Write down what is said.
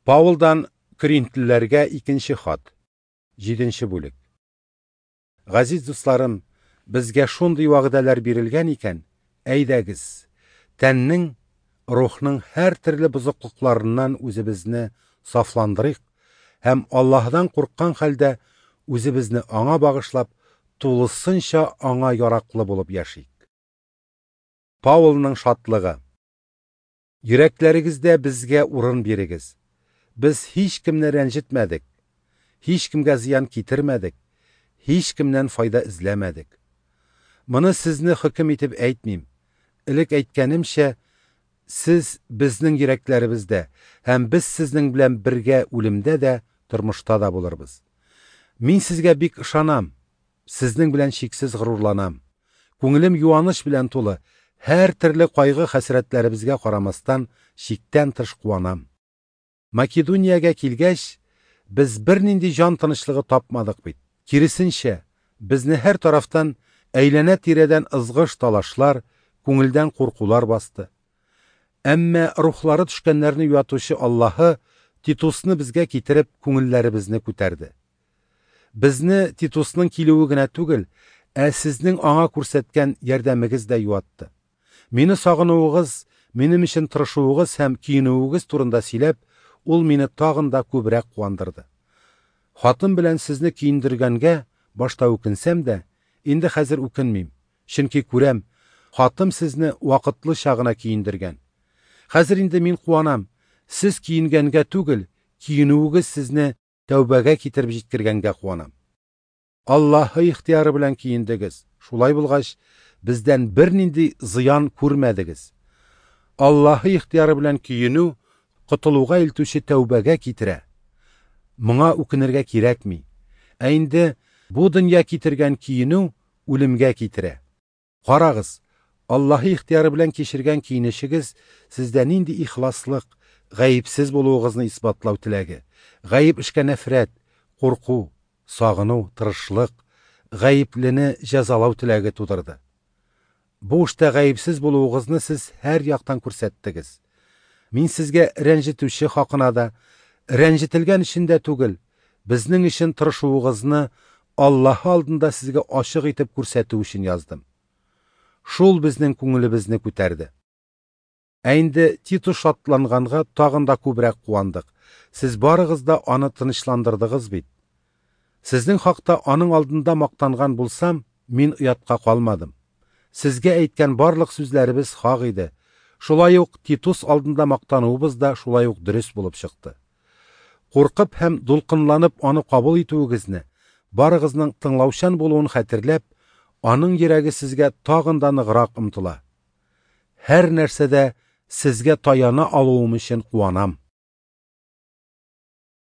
Паулдан Коринфлеләргә икенче хат. 7 бүлек. Газиз дусларым, безгә шундый вәгъдәләр бирелгән икән, әйдәгез, тәннең, рухның һәртөрле бозыклыкларыннан үзебезне сафландырыйк һәм Аллаһыдан курыккан хәлдә үзебезне Аңа багышлап, тулысынча Аңа яраклы булып яшик. Паулның шатлыгы. Йөрәкләрегездә безгә урын бирегез. Без һичкемне рәнҗетмәдек, һичкемгә зыян китермәдек, һичкемнән файда эзләмәдек. Моны сезне хөкем итеп әйтмим. Элек әйткәнемчә, сез безнең йөрәкләребездә һәм без сезнең белән бергә үлемдә дә, тормышта да булырбыз. Мин сезгә бик ышанам, сезнең белән чиксез горурланам. Күңелем юаныч белән тулы, һәртөрле кайгы-хәсрәтләребезгә карамастан, чиктән тыш куанам. Македониягә килгәч, без бернинди җан тынычлыгы тапмадык бит. Киресенчә, безне һәр тарафтан әйләнә-тирәдән ызгыш-талашлар, күңелдән куркулар басты. Әмма рухлары төшкәннәрне юатучы Аллаһы Титусны безгә китереп, күңелләребезне күтәрде. Безне Титусның килүе генә түгел, ә сезнең аңа күрсәткән ярдәмегез дә юатты. Мине сагынуыгыз, минем өчен тырышуыгыз һәм көенүегез турында сөйләп, ул мине тагын да күбрәк куандырды. Хатым белән сезне көендергәнгә башта үкенсәм дә, инде хәзер үкенмим, чөнки күрәм, хатым сезне вакытлыча гына көендергән. Хәзер инде мин куанам, сез көенгәнгә түгел, көенүегез сезне тәүбәгә китереп җиткергәнгә куанам. Аллаһы ихтыяры белән көендегез. Шулай булгач, бездән бернинди зыян күрмәдегез. Аллаһы ихтыяры белән көенү котылуга илтүче тәүбәгә китерә. Моңа үкенергә кирәкми. Ә инде бу дөнья китергән көенү үлемгә китерә. Карагыз, Аллаһы ихтыяры белән кичергән көенечегез сездә нинди ихласлык, гаепсез булуыгызны исбатлау теләге, гаеп эшкә нәфрәт, курку, сагыну, тырышлык, гаеплене җәзалау теләге тудырды. Бу эштә гаепсез булуыгызны сез һәр яктан күрсәттегез. Мин сезгә рәнҗетүче хакына да, рәнҗетелгән өчен дә түгел, безнең өчен тырышуыгызны Аллаһы алдында сезгә ачык итеп күрсәтү өчен яздым. Шул безнең күңелебезне күтәрде. Ә инде Титус шатланганга тагын да күбрәк куандык. Сез барыгыз да аны тынычландырдыгыз бит. Сезнең хакта аның алдында мактанган булсам, мин оятка калмадым. Сезгә әйткән барлык сүзләребез хак иде. Шулай ук Титус алдында мактануыбыз да шулай ук дөрес булып чыкты. Куркып һәм дулкынланып аны кабул итүегезне, барыгызның тыңлаучан булуын хәтерләп, аның йөрәге сезгә тагын да ныграк омтыла. Һәр нәрсәдә сезгә таяна алуым өчен куанам.